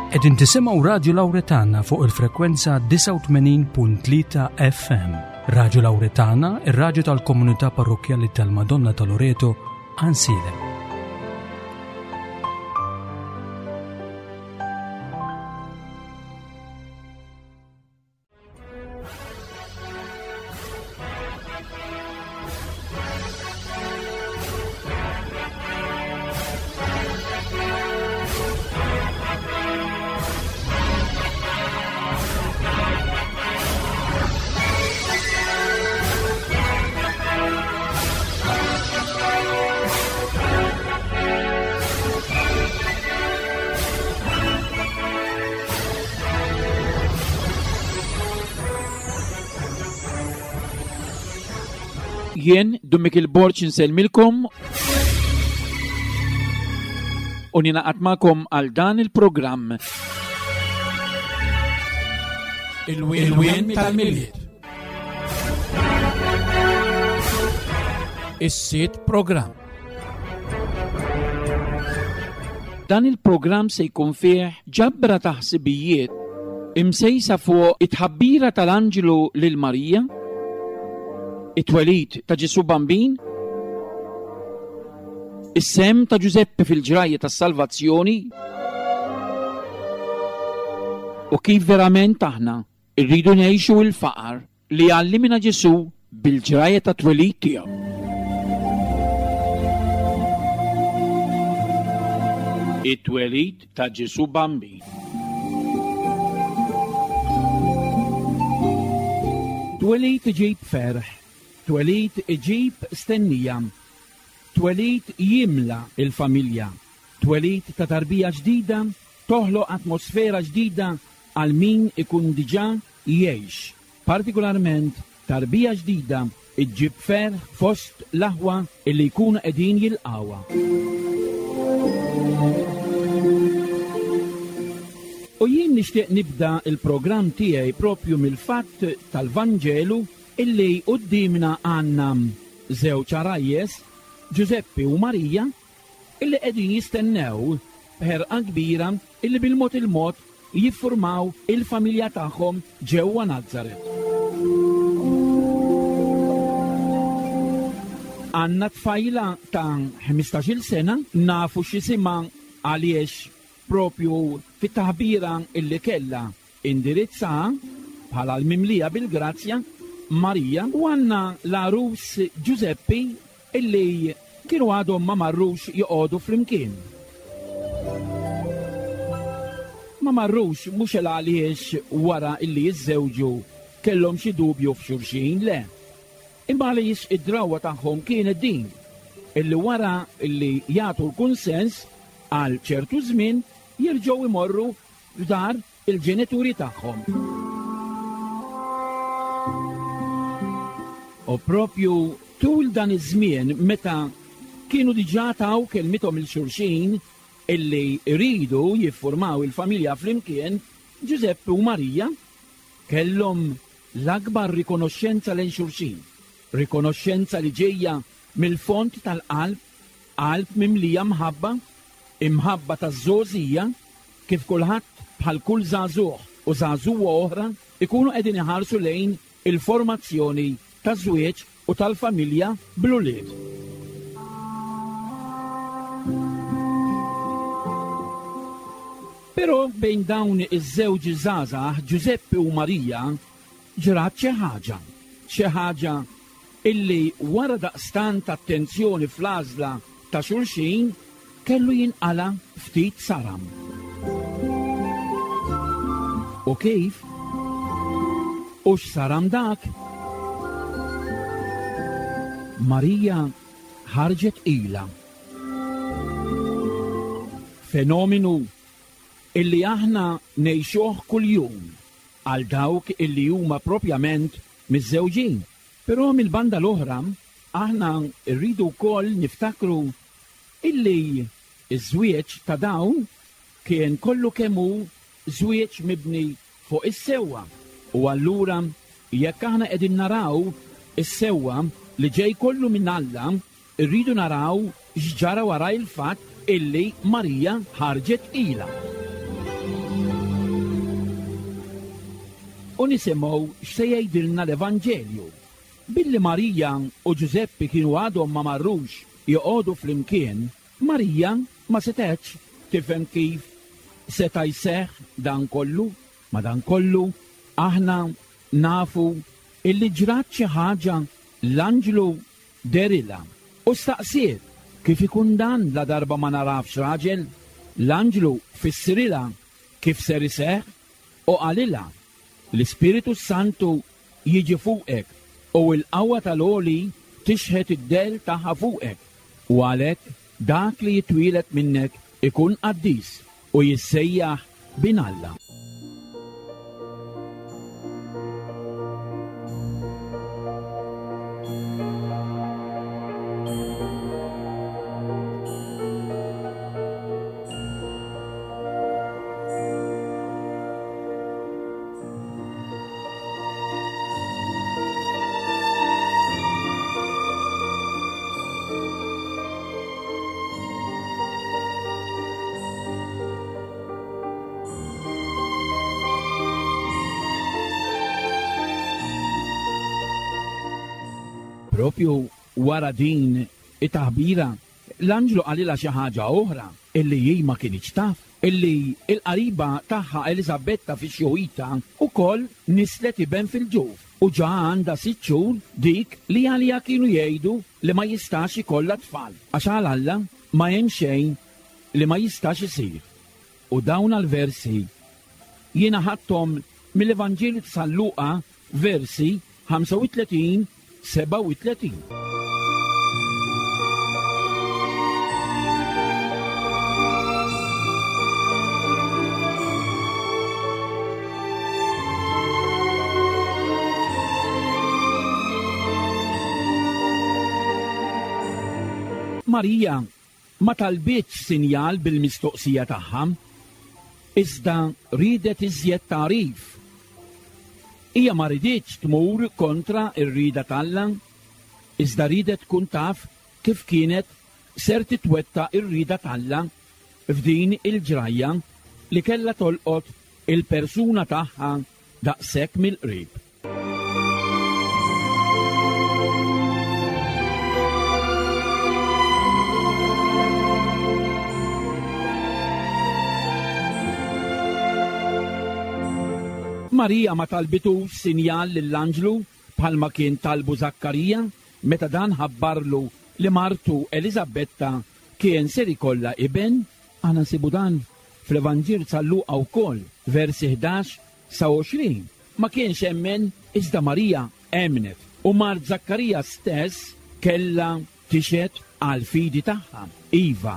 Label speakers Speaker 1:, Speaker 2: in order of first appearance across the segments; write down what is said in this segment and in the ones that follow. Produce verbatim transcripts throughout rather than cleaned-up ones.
Speaker 1: Qegħdin tisimgħu Radju Lawretana fuq il-frekwenza disgħa u tmenin punt tlieta F M. Radju Lawretana, ir-radju tal-komunità parrokkjali tal-Madonna ta' Loreto, Għajnsielem.
Speaker 2: Jien, Dun Mikiel Borg, insellmilkom u ninaqat magħkom għal dan il-programm.
Speaker 3: Il-wien tal-Milied. Is-sitt programm.
Speaker 2: Dan il-programm se jkun fih ġabra ta' ħsibijiet imsejsa fuq it-tħabbira tal-Anġlu lil Marija, it-twelid ta' Ġesù Bambin, is-sehem ta' Ġużeppi fil-ġrajja tas-salvazzjoni u kif verament aħna rridu ngħixu l-faqar li għallimna Ġesù bil-ġrajja ta' twelid tiegħu. It-twelid ta' Ġesù Bambin. Twelid iġib ferħ, twelid iġib stennija, twelid jimla il-familja, twelid ta' tarbija ġdida toħloq atmosfera ġdida għal min ikun diġà jgħix. Partikolarment tarbija ġdida iġġib ferħ fost l-aħwa illi jkunu qegħdin jilqawha. U jien nixtieq nibda il-programm tiegħi propju mill-fatt tal-Vanġelu illi quddiemna għandna żewġ għarajjes, Ġużeppi u Marija, illi qegħdin jistennew b'ħerqa kbira illi bil-mod il-mod jiffurmaw il-familja tagħhom ġewwa Nazaret. Għandna tfajla ta' ħmistax-il sena, nafu x'isimha għaliex propju fit-taħbira illi kellha indirizza bħala l-mimlija bil-grazzja Marija, u għandna l-għarus Ġużeppi illi kienu għadhom ma marrux joqogħdu flimkien. Ma marrux mhux għaliex wara illi jiżżewġu kellhom xi dubju f'xulxin, le. Imma għaliex id-drawwa tagħhom kienet din, illi wara illi jagħtu l-kunsens għal ċertu żmien jerġgħu imorru f'dar il-ġenituri tagħhom. U propju tul dan iż-żmien meta kienu diġà taw kelmithom il-xulxin illi jridu jiffurmaw il-familja flimkien, Ġużeppi u Marija kellhom l-akbar rikonoxxenza lejn xulxin, rikonoxxenza li ġejja mill-fond tal-qalb, qalb mimlija mħabba, imħabba taż-żgħożija, kif kulħadd bħal kull żagħżugħ u żagħżugħa oħra ikunu qegħdin iħarsu lejn il-formazzjoni taż-żwieġ u tal-familja bl-ulied. Però bejn dawn iż-żewġ żgħażagħ, Ġużeppi u Marija, ġrat xi ħaġa, xi ħaġa illi wara daqstant attenzjoni fl-għażla ta' xulxin kellu jinqala ftit saram. U kif? U x'saram dak? Marija ħarġet ila. Fenomenu illi aħna ngħixuh kuljum għal dawk illi huma propjament miżżewġin. Però mill-banda l-oħra aħna rridu wkoll niftakru illi ż-żwieġ ta' dawn kien kollu kemm hu żwieġ mibni fuq is-sewwa. U allura jekk aħna qegħdin naraw is-sewwa li ġej kollu minn Alla, irridu naraw x'ġara wara il-fatt illi Marija ħarġet ila. u nisimgħu x'se jgħidilna l-Evanġelju. Billi Marija u Ġużeppi kienu għadhom ma marrux joqogħdu flimkien, Marija ma setgħetx tifhem kif seta' jseħħ dan kollu. Ma dan kollu aħna nafu illi ġrat xi ħaġa. L-anġlu derilha u staqsiet kif ikun dan la darba ma narafx raġel. L-anġlu fissrilha kif ser iseħħ u qalilha l-Ispiritu Santu jiġi fuqek u l-qawwa tal-Għoli tixħet id-del tagħha fuqek, u għalhekk dak li jitwielet minnek ikun qaddis u jissejjaħ bin Alla. Propju wara din it-taħbira, l-anġlu qalilha xi ħaġa oħra illi hi ma kinitx taf, illi l-qariba tagħha Eliżabetta fi xjuħitha wkoll nislet iben fil-ġuf u ġa għandha sitt xhur, dik li għaliha kienu jgħidu li ma jistax ikollha tfal, għax għal Alla ma hemm xejn li ma jistax isir. U dawn għal-versi jiena ħadthom mill-Evanġelju ta' San Luqa, versi ħamsa u tletin, sebgħa u tletin. Marija ma talbitx sinjal bil-mistoqsija tagħha, iżda ridet iżjed tagħrif. Hija ma riditx tmur kontra r-rida t'Alla, iżda ridet tkun taf kif kienet ser titwetta r-rida t'Alla f'din il-ġrajja li kellha tolqot il-persuna tagħha daqshekk mill-qrib. Marija ma talbitux sinjal lill-anġlu bħalma kien talbu Zakkarija meta dan ħabbarlu li martu Eliżabetta kien ser ikollha iben. Aħna nsibu dan fl-Evanġelju ta' Luqa wkoll, versi ħdax sa għoxrin. Ma kienx emmen, iżda Marija emnet, u mart Zakkarija stess kellha tixhed għal fidi tagħha. Iva,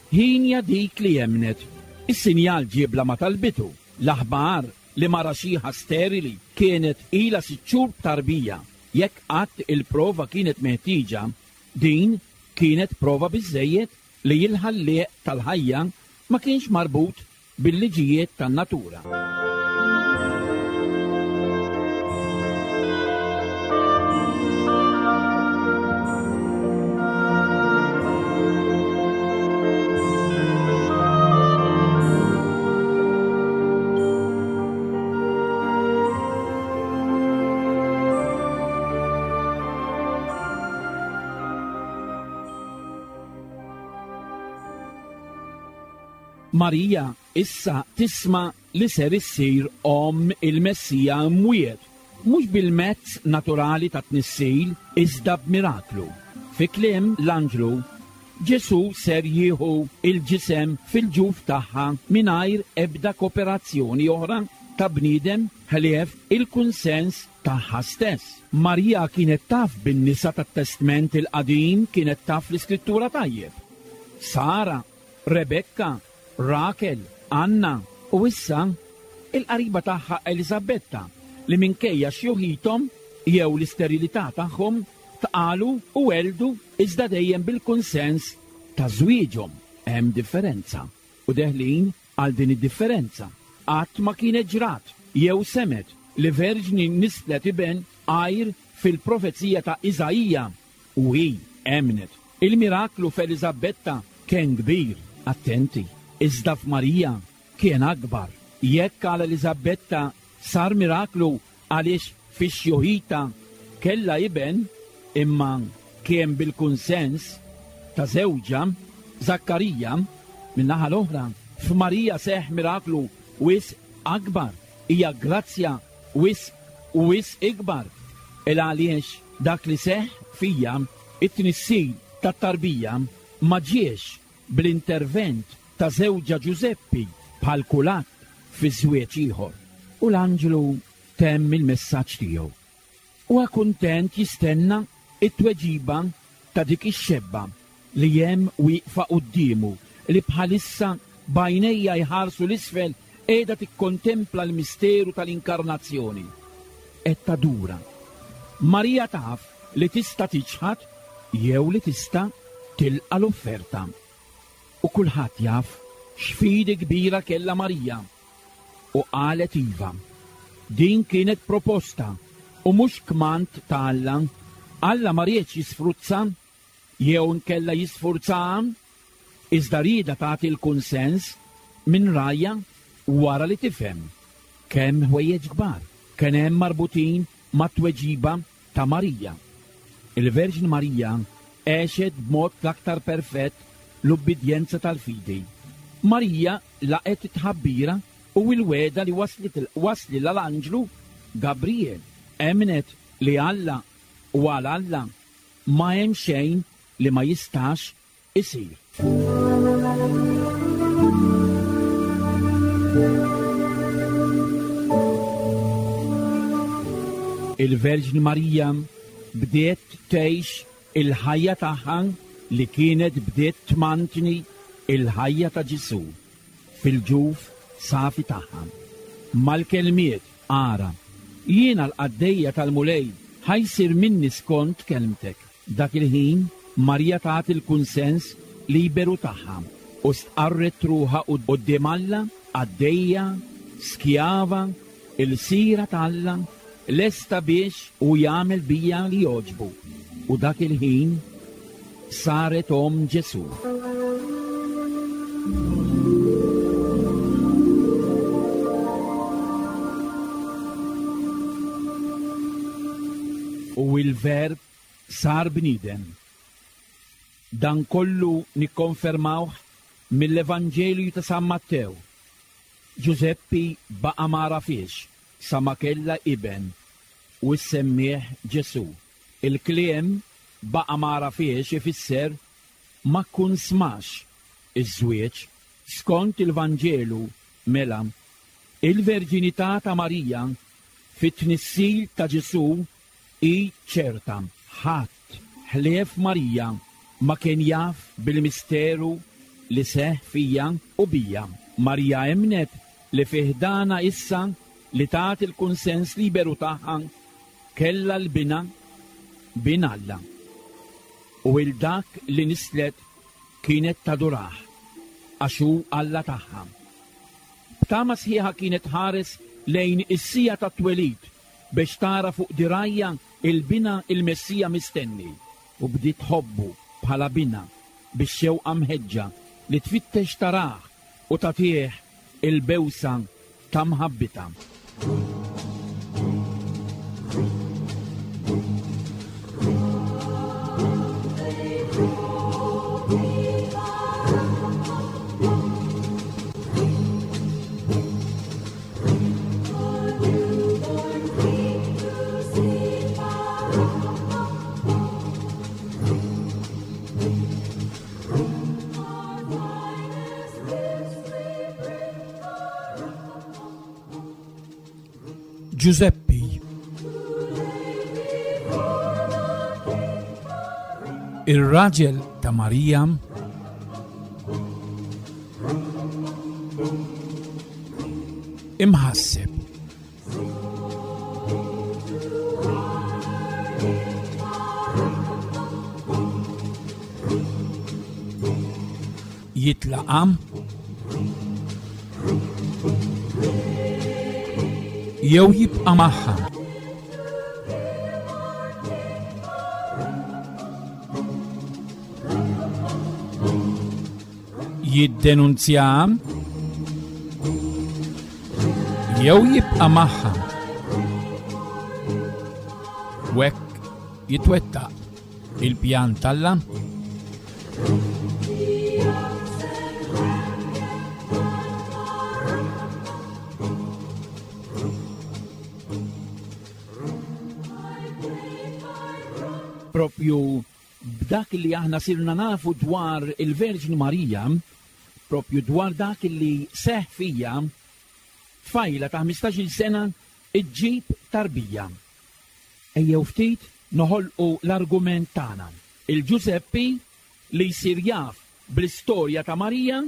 Speaker 2: ħinja dik li emnet. Is-sinjal ġiebla ma talbitu. L-aħbar li mara xieħa sterili kienet ilha sitt xhur tarbija. Jekk qatt il-prova kienet meħtieġa, din kienet prova biżżejjed li l-ħallieq tal-ħajja ma kienx marbut bil-liġijiet tan-natura. Marija issa tisma' li ser issir omm il-Messija mwiet, mhux bil-mezz naturali ta' tnissil, iżda b'miraklu. Fi kliem l-anġlu, Ġesu ser jieħu il-ġisem fil-ġuf tagħha mingħajr ebda kooperazzjoni oħra ta' bniedem ħlief il-kunsens tagħha stess. Marija kienet taf bin-nisa tat-Testment il-Qadim, kienet taf l-Iskrittura tajjeb. Sara, Rebekka, Rakel, Anna u issa il-qariba tagħha Eliżabetta li minkejja xjuħithom jew l-isterilità tagħhom tqalu u weldu iżda dejjem bil-kunsens ta' żwieġhom. Hemm differenza u deħlin għal din id-differenza. Qatt ma kienet ġrat jew semet li verġni nislet iben għajr fil-profezija ta' Iżaija, u hi emnet. Il-miraklu f'Eliżabetta kien kbir, attenti, iżda f'Marija kien akbar. Jekk għal Eliżabetta sar miraklu għaliex fix-xjuħita kellha iben, imma kien bil-kunsens ta' żewġha Zakkarija. Min-naħa l-oħra, f'Marija seħħ miraklu wisq akbar, hija grazzja wisq u wisq ikbar, il għaliex dak li seħħ fija, it-tnissil tat-tarbija, ma ġiex bl-intervent ta' żewġha Ġużeppi bħal kulħadd fi żwieġ ieħor. U l-anġlu temm il-messaġġ tiegħu. Huwa kuntent jistenna it-tweġiba ta' dik ix-xebba li hemm wieqfa quddiemu, li bħalissa b'għajnejha jħarsu l-isfel qiegħda tikkontempla l-misteru tal-inkarnazzjoni. Qed tadura. Marija taf li tista' tiċħad jew li tista' tilqa' l-offerta. U kulħadd jaf x'fidi kbira kellha Marija. U qalet iva. Din kienet proposta u mhux kmand ta' Alla. Alla ma riedx jisfruzza jew nkella jisfurzaha, iżda rieda tagħti l-kunsens minn rajja wara li tifhem kemm ħwejjeġ kbar kien hemm marbutin mat-tweġiba ta' Marija. Il-Verġni Marija għexet b'mod l-aktar perfett l-ubbidjenza tal-fidi. Marija laqgħet it-tħabbira u l-wegħda li waslet wasli l-anġlu Gabriel. Emnet li Alla u għal Alla ma hemm xejn li ma jistax isir. Il-Verġni Marija bdiet tgħix il-ħajja tagħha li kienet bdiet tmantni il-ħajja ta' Ġesù fil-ġuf safi tagħha. Mal-kelmiet ara, jiena l-qaddejja tal-Mulej, ħajsir minni skont kelmtek. Dak il-ħin Marija tat il-kunsens liberu tagħha u stqarret ruħha quddiem Alla, qaddejja, skjava, il-sira t'Alla, lesta biex u jagħmel bija li jogħġbu. U dak il-ħin saret om Ġesù. U il-Verb sar bniedem. Dan kollu nikkonfermawh mill-Evanġelju ta' San Mattew. Ġużeppi baqa' ma għarafhiex sa ma kellha iben u ssemmih Ġesù. Il-kliem baqa' ma għarafhiex ifisser ma kkunsmax iż-żwieġ. Skont il-Vanġelu mela, il-verġinità ta' Marija fit-tnissil ta' Ġesù hi ċerta. Ħadd ħlief Marija ma kien jaf bil-misteru li seħħ fija u bija. Marija emnet li fiħdana issa li tat il-kunsens liberu tagħha kellha l-bina bin Alla. U il dak li nislet kienet tadurah għax hu Alla tagħha. B'tama sħiħa kienet ħares lejn is-sija tat-twelid biex tara fuq dirajja il-bina il-Messija mistenni, u bdiet tħobbu bħala bina biex xewqa mħeġġa li tfittex tarah u tagħtih il-bewsa ta' mħabbitha.
Speaker 3: Ġużeppi. Ir-raġel ta' Marija imħasseb. Jitlaqam jew jibqa' magħha. Jiddenunzja Jew jibqa' magħha. U hekk jitwettaq il-pjan t'Alla.
Speaker 2: Propju b'dak li aħna sirna nafu dwar il-Verġni Marija, propju dwar dak li seħ fija, tfajla ta' ħmistax-il sena iġġib tarbija. Ejjew ftit noħolqu l-argument tagħna. Il-Ġużeppi li jsir jaf bl-istorja ta' Marija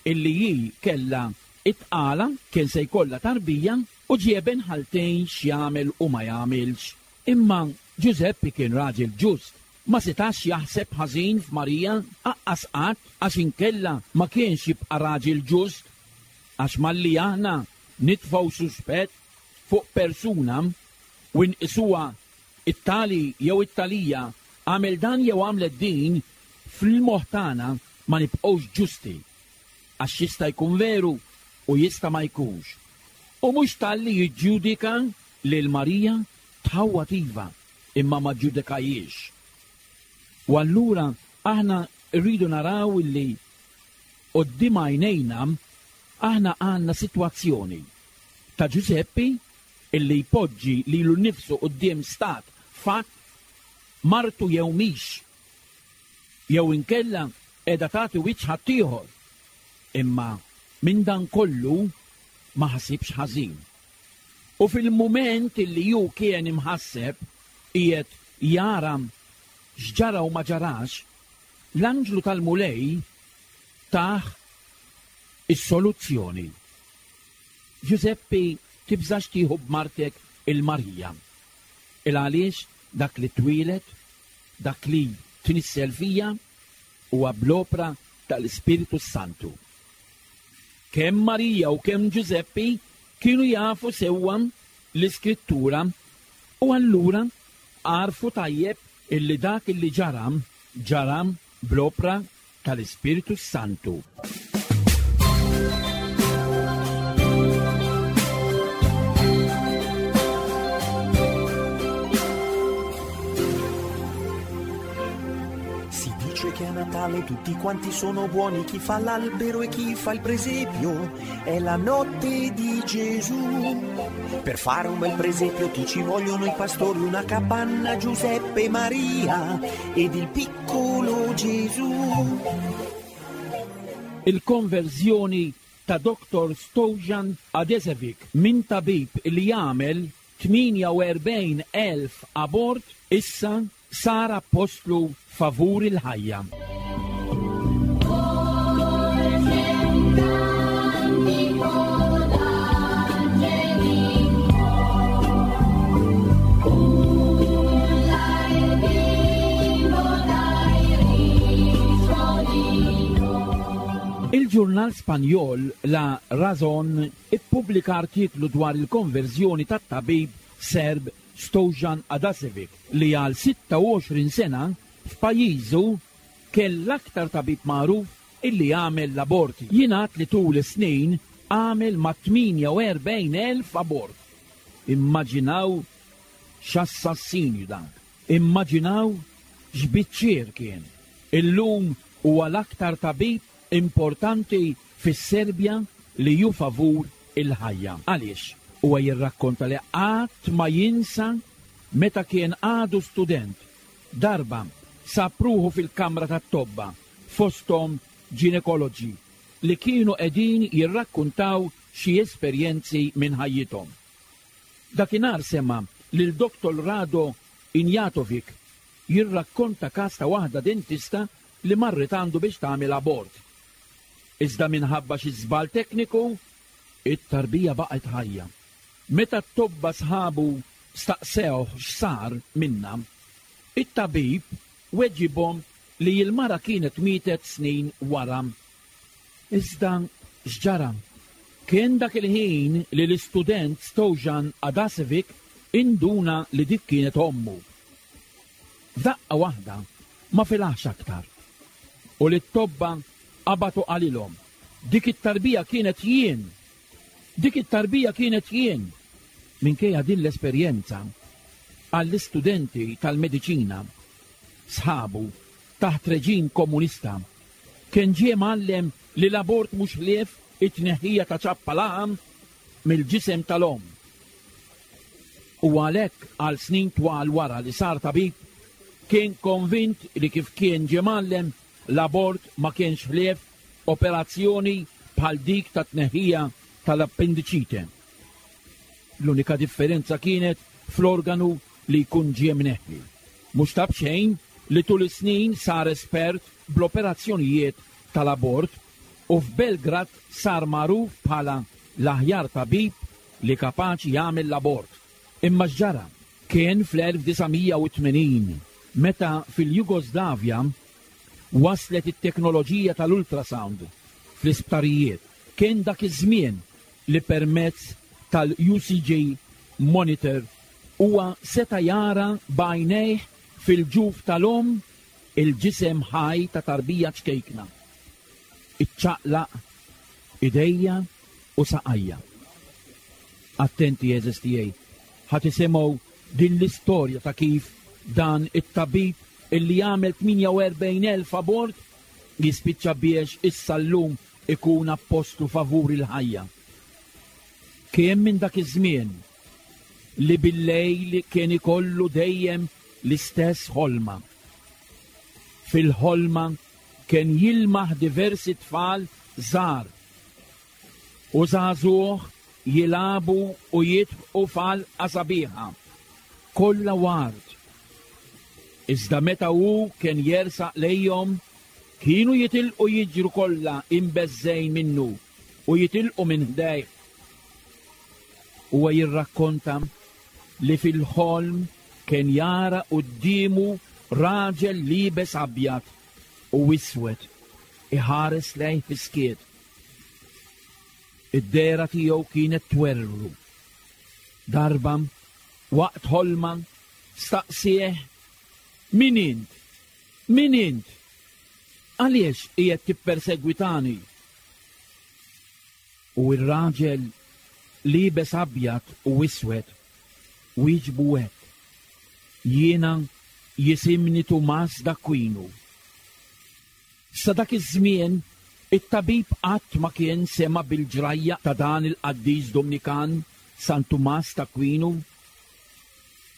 Speaker 2: illi hi kellha it-tqala, kien se jkollha tarbija u ġieben ħaltejn x'jagħmel u ma jagħmilx. Imma Ġużeppi kien raġel ġust, ma setax jaħseb ħażin f'Marija aqqas qatt, għax inkella ma kienx jibqa' raġel ġust, għax malli aħna nitfgħu suspett fuq persuna u nqisuha it-tali jew it-talija għamel dan jew għamlet din, fil-moħħ tagħna ma nibqgħux ġusti, għax jista' jkun veru u jista' ma jkunx. U mhux talli jiġġudika lil Marija tħawwad iva, imma ma ġudikajiex. U allura aħna rridu naraw illi quddiem għajnejna aħna għandna sitwazzjoni ta' Ġużeppi illi jpoġġi lilu nnifsu quddiem stat fatt martu jew mhix, jew inkella qiegħda tagħti wiċċ ħaddieħor. Imma minn dan kollu ma ħasibx ħażin. U fil-mument illi ju kien imħasseb qiegħed jara x'ġara u ma ġarax, l-anġlu tal-Mulej tah is-soluzzjoni. Ġużeppi, tibżax tieħu b'martek il-Marija. Il għaliex dak li twieled, dak li tnissel fija, huwa bl-opra tal-Ispiritu Santu. Kemm Marija u kemm Ġużeppi kienu jafu sewwa l-Iskrittura u allura għarfu tajjeb illi dak illi ġara, ġara bl-opra tal-Ispiritu Santu.
Speaker 4: Si dice che a Natale tutti quanti sono buoni, chi fa l'albero e chi fa il presepio, è la notte di Gesù. Per fare un bel presepio ti ci vogliono i pastori, una capanna, Giuseppe e Maria ed il piccolo Gesù.
Speaker 2: Il-konverżjoni ta' Doktor Stojan Adesevic minn tabib li jagħmel tmienja u erbgħin elf abort issa sar apostlu favur il-ħajja. Il-ġurnal Spanjol La Razón ippubblika artiklu dwar il-konverżjoni tat-tabib Serb Stojan Adasevic li għal sitta u għoxrin sena f'pajjiżu kell l-aktar tabib magħruf illi għamel l-aborti. Jingħad li tul is-snin għamel ma' tmienja u erbgħin elf abort. Immaġinaw x'assassinju dan. Immaġinaw x'biċċier kien. Illum huwa l-aktar tabib importanti fis-Serbja li ju favur il-ħajja. Għaliex? Huwa jirrakkonta li qatt ma jinsa meta kien għadu student. Darba sapruħu fil-kamra tat-tobba fosthom ginekoloġi li kienu qegħdin jirrakkuntaw xi esperjenzi minn ħajjithom. Dakinhar sema' lil Doktor Rado Injatovic jirrakkonta każ ta' waħda dentista li marret għandu biex tagħmel abort. Iżda minħabba xi żball tekniku, it-tarbija baqgħet ħajja. Meta t-tobba sħabu staqsew x'sar minna, it-tabib weġibhom li l-mara kienet mietet snin wara. Iżda x'ġara? Kien dak il-ħin li l-istudent Stojan Adasevic induna li dik kienet ommu. F'daqqa waħda ma filax aktar. U li t-tobba qabatu qalilhom, dik it-tarbija kienet jien. Dik it-tarbija kienet jien. Minkejja din l-esperjenza, għall-istudenti tal-mediċina, sħabu taħt reġim komunista, kien ġie mgħallem li l-abort mhux ħlief it-tneħħija ta' ċappa laħam mill-ġisem tal-omm. U għalhekk għal snin twal wara li sar tabib, kien konvint li kif kien ġie mgħallem l-abort ma kienx ħlief operazzjoni bħal dik ta' tneħħija tal-appendiċite. L-unika differenza kienet fl-organu li jkun ġie mneħħi. Mhux ta' b'xejn li tul is-snin sar espert bl-operazzjonijiet tal-abort u f'Belgrad sar magħruf bħala l-aħjar tabib li kapaċi jagħmel l-abort. Imma x'ġara? Kien fl-elf disa' mija u tmenin meta fil-Jugoslavja waslet it-teknoloġija tal-ultrasound fl-isptarijiet. Kien dak iż-żmien li permezz tal-U C G monitor huwa seta' jara b'għajnejh fil-ġuf tal-omm il-ġisem ħaj ta' tarbija ċkejkna. Iċċaqlaq idejja u saqajja. Attenti għeżież tiegħi, ħa tisimgħu din l-istorja ta' kif dan it-tabib illi jagħmel tmienja u erbgħin elf abort jispiċċa biex issa llum ikun appostlu favur il-ħajja. Kien minn dak iż-żmien li bil-lejl kien ikollu dejjem l-istess ħolma. Fil-ħolma kien jilmaħ diversi tfal żgħar u żagħżugħ jilagħbu u jidħqu f'għalqa sabiħa, kollha ward. Iżda meta hu kien jersaq lejhom, kienu jitilqu jiġru kollha imbeżżejn minnu u jitilqu minn ħdejh. Huwa jirrakkonta li fil-ħolm kien jara quddiemu raġel liebes abjad u iswed iħares lejh fis-skiet. Id-dehra tiegħu kienet twerwru. Darba waqt ħolma staqsieh: Min int? Min int? Għaliex qiegħed tippersegwitani? U r-raġel liebes abjad u iswed wieġbu hekk: Jiena jisimni Tumas d'Aquino. Sa dak iż-żmien it-tabib qatt ma kien sema bil-ġrajja ta' dan il-qaddis Dominikan San Tumas d'Aquino.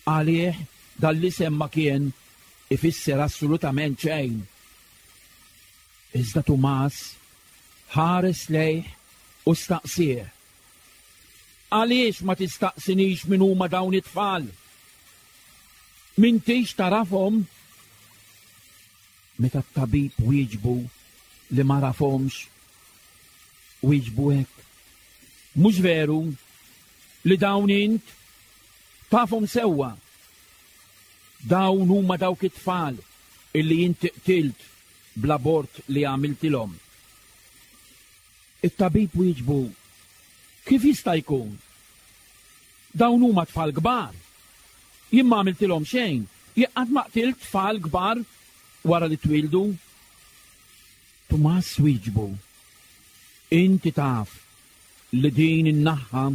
Speaker 2: Għalih dan l-isem ma kien ifisser assolutament xejn. Iżda Tumas ħares lejh u staqsieh: Għaliex ma tistaqsinix min huma dawn it-tfal? M'intix tarafhom? Meta t-tabib wieġbu li ma rafhomx, wieġbu hekk: Mhux veru li dawn int tafhom sewwa. Dawn huma dawk it-tfal illi inti qtilt bl-abort li għamiltilhom. It-tabib wieġbu: Kif jista' jkun? Dawn huma tfal kbar. Jien ma għamiltilhom xejn, jien qatt ma qtilt tfal kbar wara li twildu. Tumas wieġbu: Inti taf li din in-naħa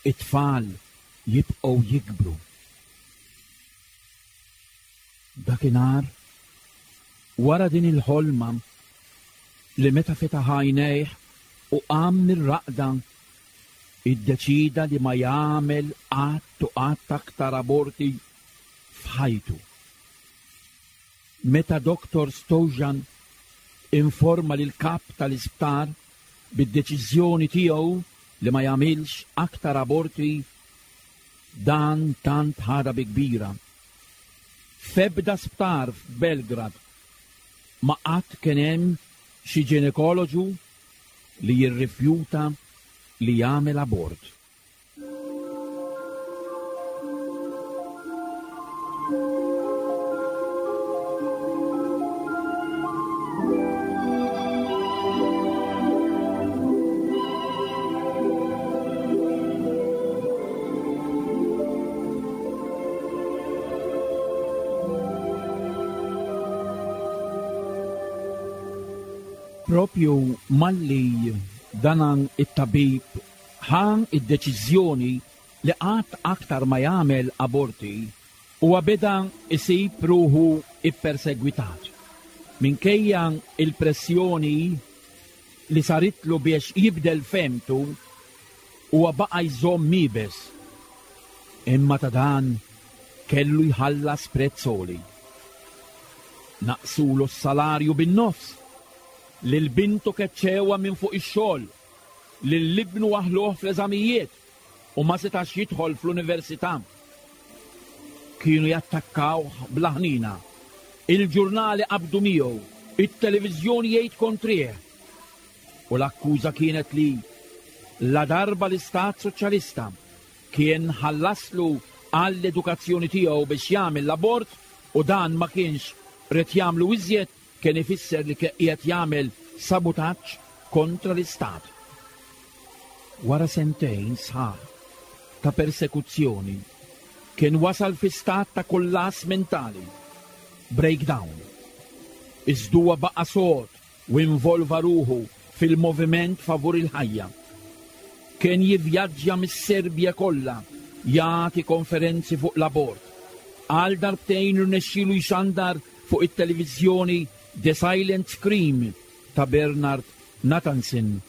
Speaker 2: it-tfal jibqgħu jikbru. Dakinhar wara din il-ħolma li meta fetaħ għajnejh u qam mir-raqda, iddeċida li ma jagħmel qatt u qatt aktar aborti f'ħajtu. Meta Doktor Stojan informa lil kap tal-isptar bid-deċiżjoni tiegħu li ma jagħmilx aktar aborti, dan tant ħada bi kbira. F'ebda sptar f'Belgrad ma qatt kien hemm xi ġinekoloġu li jirrifjuta li jagħmel abort. Propju malli Dan it-tabib ħa id-deċiżjoni li qatt aktar ma jagħmel aborti u beda isib ruħu ippersegwitat. Minkejja il-pressjoni li saritlu biex jibdel femtu, huwa baqa' jżomm iebes. Imma ta' dan kellu jħallas prezz għoli. Naqsulu s-salarju bin-nofs, lil bintu keċċewha minn fuq ix-xogħol, lil ibnu waħluh fl-eżamijiet u ma setax jidħol fl-università. Kienu jattakkawh bla ħnina. Il-ġurnali qabdu miegħu, it-televiżjoni jgħid kontrih. U l-akkuża kienet li la darba l-Istat Soċjalista kien ħallaslu għall-edukazzjoni tiegħu biex jagħmel l-abort u dan ma kienx rid jagħmlu iżjed, kien ifisser li qiegħed jagħmel sabutaġġ kontra l-Istat. Wara sentejn sħaħ ta' persekuzzjoni kien wasal fi stat ta' kollass mentali, breakdown. Iżda huwa baqa' sod u involva ruħu fil-moviment favur il-ħajja. Kien jivvjaġġa mis-Serbja kollha jagħti konferenzi fuq l-abort. Għal darbtejn irnexxielu jxandar fuq it-televiżjoni The Silent Scream ta' Bernard Nathanson.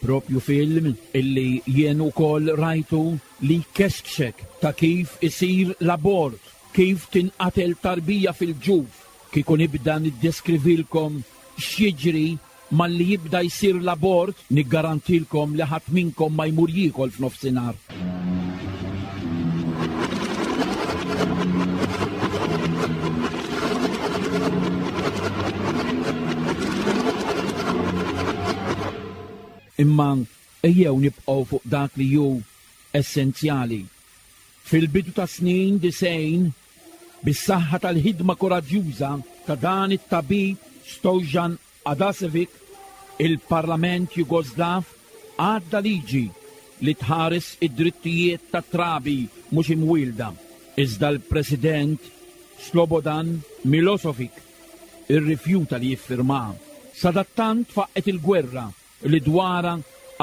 Speaker 2: Propju film illi jien ukoll rajtu li kexkxek ta' kif isir l-abort, kif tinqatel tarbija fil-ġuf, kieku nibda niddeskrivilkom x'jiġri malli jibda jsir l-abort, niggarantilkom li ħadd minnkom ma jmur jiekol f'nofsinhar. Imma ejjew nibqgħu fuq dak li hu essenzjali. Fil-bidu ta' snin disgħin, bis-saħħa tal-ħidma koraġġjuża ta' dan it-tabib Stojan Adasevic, il-Parlament Jugoslav għadda liġi li tħares id-drittijiet ta' trabi mhux imwielda. Iżda l-President Slobodan Milosevic irrifjuta li jiffirmaha. Sadattant faqqet il-gwerra li dwarha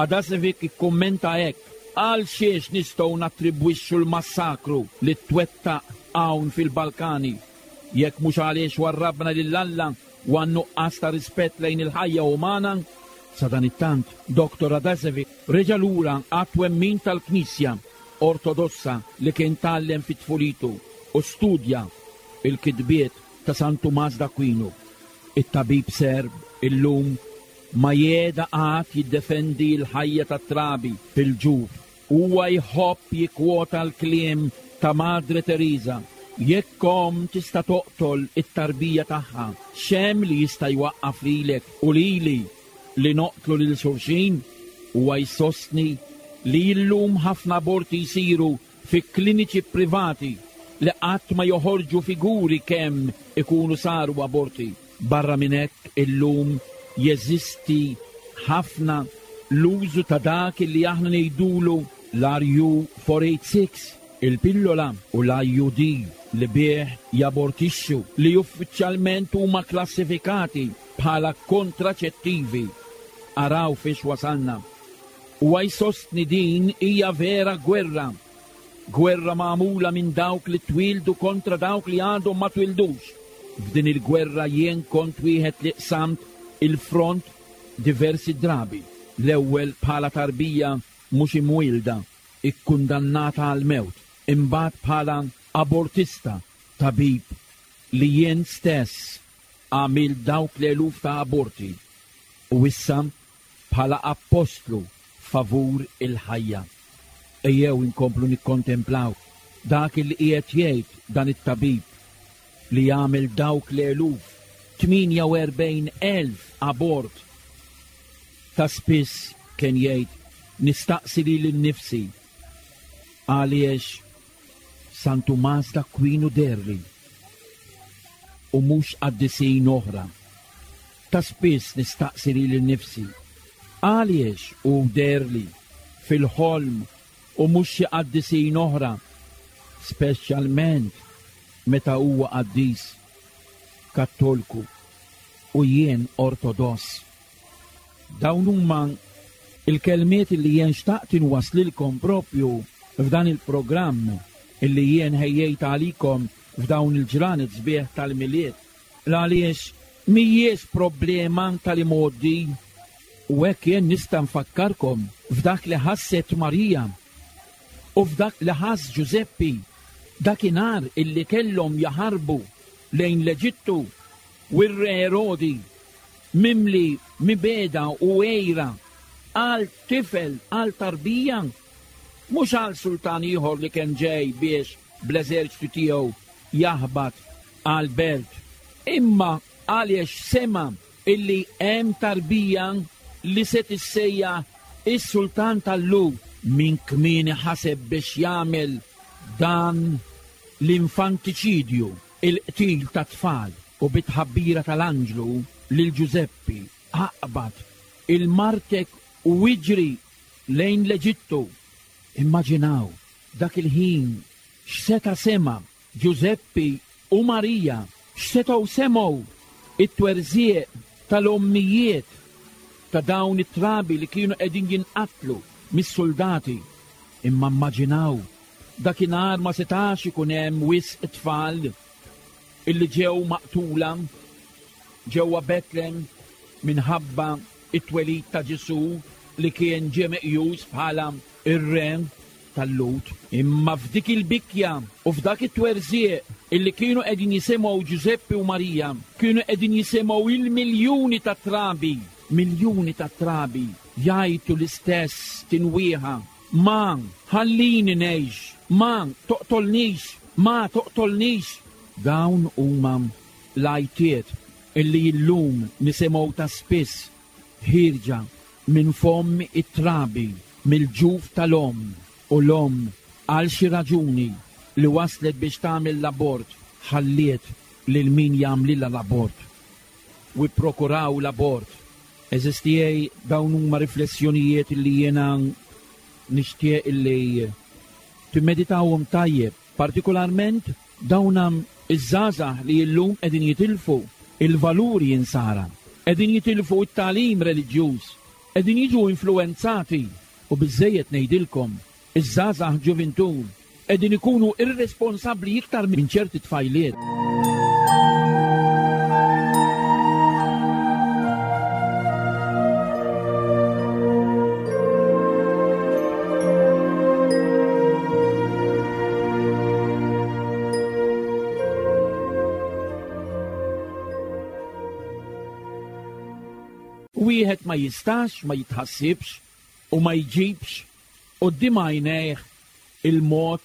Speaker 2: Adasevic ikkummenta hekk: għal xiex nistgħu nattribwixxu l-massakru li twettaq hawn fil-Balkani jekk mhux għaliex warrabna lil Alla u għan-nuqqas ta' rispett lejn il-ħajja umana? Sadanittant, Doktor Adasevic reġa' lura għat-twemmin tal-Knisja Ortodossa li kien tgħallem fit-tfulitu u studja il-kitbiet ta' San Tumas d'Aquino. It-tabib Serb illum ma jeda qatt jiddefendi l-ħajja tat-trabi fil-ġuf. Huwa jħobb jikkwota l-kliem ta' Madre Teresa: jekk omm tista' toqtol it-tarbija tagħha, x'hemm li jista' jwaqqaf lilek u lili li noqtlu lil xulxin? Huwa jsostni li llum ħafna aborti jsiru fi kliniċi privati li qatt ma joħorġu figuri kemm ikunu saru aborti. Barra minn hekk illum jeżisti ħafna l-użu ta' dak li aħna ngħidulu l-R U four eight six, il-pillola u l-I U D li bih jabortixxu, li uffiċjalment huma klassifikati bħala kontraċettivi. Araw fiex wasalna. U jsostni din hija vera gwerra, gwerra magħmula minn dawk li twildu kontra dawk li għadhom ma twildux. F'din il-gwerra jien kont wieħed li qsamt il-front diversi drabi. L-ewwel bħala tarbija mhux imwielda, ikkundannata għal-mewt, imbagħad bħala abortista, tabib li jien stess għamil dawk l-eluf ta' aborti, u issa bħala appostlu favur il-ħajja. Ejjew inkomplu nikkontemplaw dak li qiegħed jgħid dan it-tabib li jagħmel dawk l-eluf, tmienja u erbgħin elf abort. Ta' spiss kien jgħid, nistaqsi lili nnifsi għaliex San Tumas d'Aquino derli u mhux qaddisin oħra. Ta' spiss nistaqsi lili nnifsi għaliex hu derli fil-ħolm u mhux xi qaddisin oħra, speċjalment meta huwa qaddis Kattolku u jien Ortodoss. Dawn huma il-kelmiet li jien xtaqt inwaslilkom propju f'dan il-programm illi jien ħejjejt għalikom f'dawn il-ġranet sbieħ tal-Milied. Għaliex mhijiex problema tal-imgħoddi, u hekk jien nista' nfakkarkom f'dak li ħasset Marija u f'dak li ħass Ġużeppi dakinhar illi kellhom jaħarbu lejn l-Eġittu u r-re Erodi mimli mibeda u għejra għal tifel, għal tarbija, mhux għal sultan ieħor li kien ġej biex bl-eżerċtu tiegħu jaħbat għal belt, imma għaliex sema illi hemm tarbija li se tissejjaħ is-sultan tal-Lhud. Min kmieni ħaseb biex jagħmel dan l-infantiċidju, il-qtil ta' tfal, u bit-tħabbira tal-anġlu lil Ġużeppi aqbad il-martek u iġri lejn l-Eġittu. Immaġinaw dak il-ħin x'seta' sema Ġużeppi u Marija, x'setgħu semgħu it-twerżieq tal-ommijiet ta' dawn it-trabi li kienu qegħdin jinqatlu mis-soldati. Imma immaġinaw dakinhar ma setax ikun hemm wisq tfal illi ġew maqtula ġewwa Betlem minħabba it-twelid ta' Ġesù li kien ġie meqjus bħala ir-re tal-Lhud. Imma f'dik il-bikja u f'dak it-twerżieq illi kienu qegħdin jisimgħu Ġużeppi u Marija, kienu qegħdin jisimgħu il-miljuni ta' trabi, miljuni ta' trabi jgħajtu l-istess tinwieħa: ma ħallini ngħix, ma toqtolnix, ma toqtolnix. Dawn huma l-għajtiet illi llum nisimgħu ta' spiss ħierġa minn fomm it-trabi, mill-ġuf tal-omm, u l-omm għal xi raġuni li waslet biex tagħmel l-abort ħalliet lil min jagħmlilha l-abort u ipprokuraw l-abort. Għeżież tiegħi, dawn huma riflessjonijiet li jiena nixtieq illi timmeditawhom tajjeb, partikolarment dawn iż-żgħażagħ li llum qegħdin jitilfu il-valuri insara, qegħdin jitilfu t-tagħlim reliġjuż, qegħdin jiġu influenzati, u biżejjed ngħidilkom iż-żgħażagħ ġuvintur qegħdin ikunu irresponsabbli iktar minn ċerti tfajliet. Wieħed ma jistax ma jitħassibx u ma jġibx quddiem għajnejh il-mod,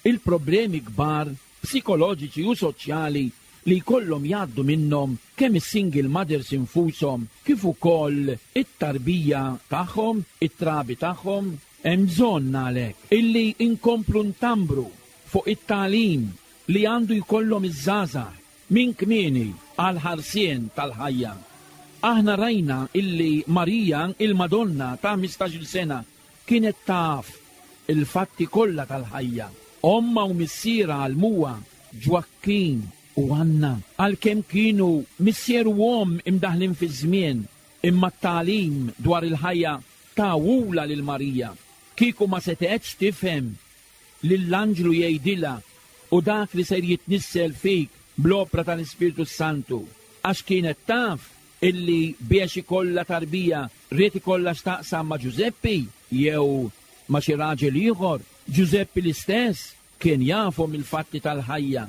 Speaker 2: il-problemi kbar psikoloġiċi u soċjali li jkollhom jgħaddu minnhom kemm is-single mothers infushom kif ukoll it-tarbija tagħhom, it-trabi tagħhom. Hemm bżonn għalhekk illi inkomplu ntambru fuq it-tagħlim li għandu jkollhom iż-żgħażagħ minn kmieni għal ħarsien tal-ħajja. Aħna rajna illi Marija, il-Madonna ta' ħmistax-il sena, kienet taf il-fatti kollha tal-ħajja. Omma u missiera għallmuha, Ġwakkin u Anna, għalkemm kienu missier u omm imdaħlin fiż-żmien, imma t-tagħlim dwar il-ħajja tawula lil Marija. Kieku ma setgħetx tifhem lill-anġlu jgħidilha u dak li ser jitnissel fik bl-opra tal-Ispirtu Santu, għax kienet taf illi biex ikollha tarbija ried ikollha x'taqsam ma' Ġużeppi jew ma' xi raġel ieħor. Ġużeppi l-istess kien jafhom il-fatti tal-ħajja.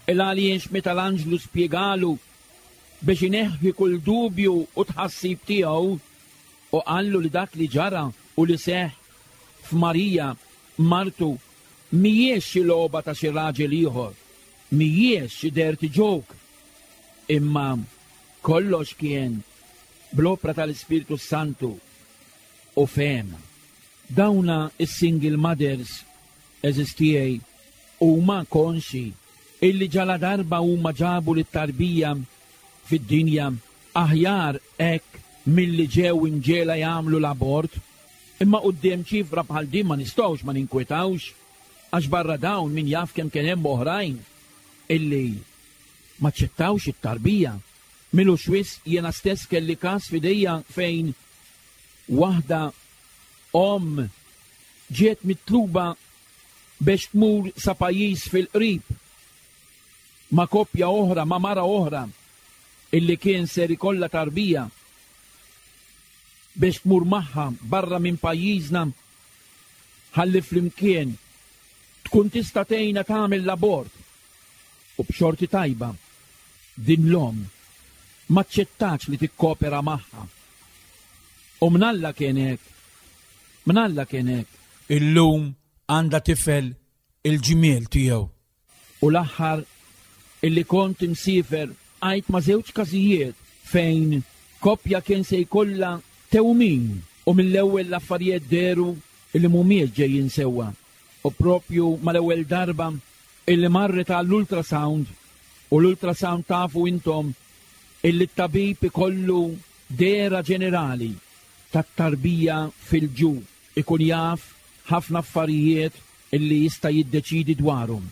Speaker 2: Il għaliex meta l-anġlu spjegalu biex ineħħi kull dubju u tħassib tiegħu u qallu li dak li ġara u li seħħ f'Marija martu mhijiex xi logħba ta' xi raġel ieħor, mhijiex xi dirty joke, imma kollox kien bl-opra tal-Ispirtu Santu u fehem. Dawna is-single mothers, għeżież tiegħi, huma konxi illi ġala darba huma ġabu lit-tarbija fid-dinja aħjar hekk milli ġew imġiegħla jagħmlu l-abort. Imma quddiem ċifra bħal din ma nistgħux ma ninkwetawx, għax barra dawn min jaf kemm kien hemm oħrajn illi ma ċċettawx it-tarbija. Milux wisq jiena stess kelli każ f'idejja fejn waħda Omm ġiet mitluba biex tmur sa pajjiż fil-qrib ma' koppja oħra, ma' mara oħra illi kien ser ikollha tarbija biex tmur magħha barra minn pajjiżna ħalli flimkien tkun tista' tgħinha tagħmel l-abort. U b'xorti tajba din l-omm ma ċċettax li tikkopera magħha. U mnalla kien hekk, mnalla kien hekk.
Speaker 3: Illum għandha tifel il-ġmiel tiegħu.
Speaker 2: U l-aħħar illi kont imsiefer għajt ma' żewġ każijiet fejn koppja kien se jkollha tewmin u mill-ewwel l-affarijiet dehru illi mhumiex ġejjin sewwa. U propju mal-ewwel darba illi marret għall-ultrasound, u l-ultrasound tafu intom illi t-tabib ikollu dehra ġenerali tat-tarbija fil-ġuf, ikun jaf ħafna affarijiet illi jista' jiddeċidi dwarhom.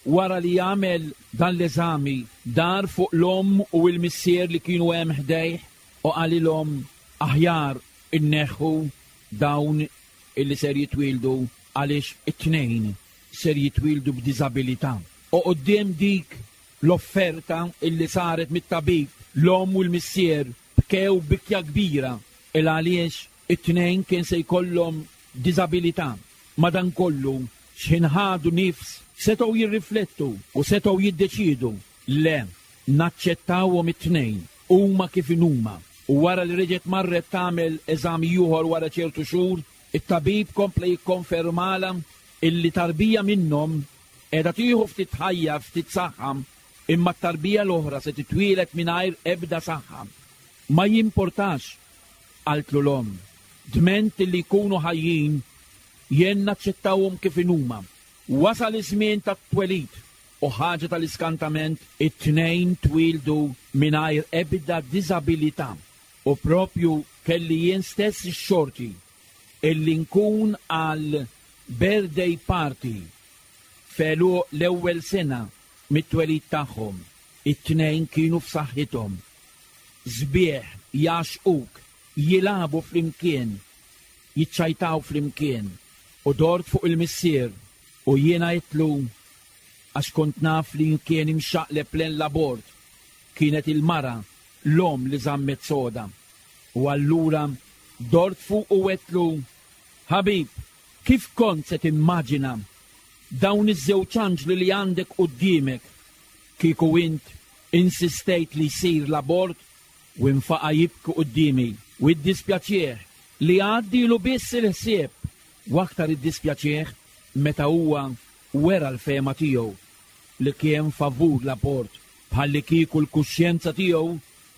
Speaker 2: Wara li jagħmel dan l-eżami, dar fuq l-omm u l-missier li kienu hemm ħdejh u qalilhom aħjar inneħħu dawn illi ser jitwieldu għaliex it-tnejn ser jitwieldu b'diżabilità. U quddiem dik l-offerta illi saret mit-tabib, l-omm u l-missier bkew bikja kbira il għaliex it-tnejn kien se jkollhom diżabilità. Madankollu x'ħin ħadu nifs setgħu jirriflettu u setgħu jiddeċiedu le naċċettawhom it-tnejn huma kif inhuma. U wara li reġgħet marret tagħmel eżami ieħor wara ċertu xhur, it-tabib kompla jikkonfermala illi tarbija minnhom qiegħda tieħu ftit ħajja, ftit saħħa, imma t-tarbija l-oħra se titwieled mingħajr ebda saħħa. Ma jimportax, qaltlu l-omm, dment illi jkunu ħajjin jien naċċettawhom kif inhuma. Wasal iż-żmien tat-twelid u ħaġa tal-iskantament, it-tnejn twieldu mingħajr ebda diżabilità. U propju kelli jien stess ix-xorti illi nkun għal birthday party felu l-ewwel sena mit-twelid tagħhom. It-tnejn kienu f'saħħithom, sbieħ, jaxquk, jilagħbu flimkien, jiċċajtaw flimkien. U dort fuq il-missier u jiena għedtlu, għax kont naf li kien imxaqleb lejn l-abort, kienet il-mara l-omm li żammet soda. U allura dort fuq u għedtlu, ħabib, kif kont se timmaġina dawn iż-żewġ anġli li għandek quddiemek kieku int insistejt li jsir l-abort? U infaqa' jibki quddiemi u iddispjaċih li għaddilu biss il-ħsieb, u aktar iddispjaċih meta huwa wera l-fehma tiegħu li kien favur l-abort, bħalli kieku l-kuxjenza tiegħu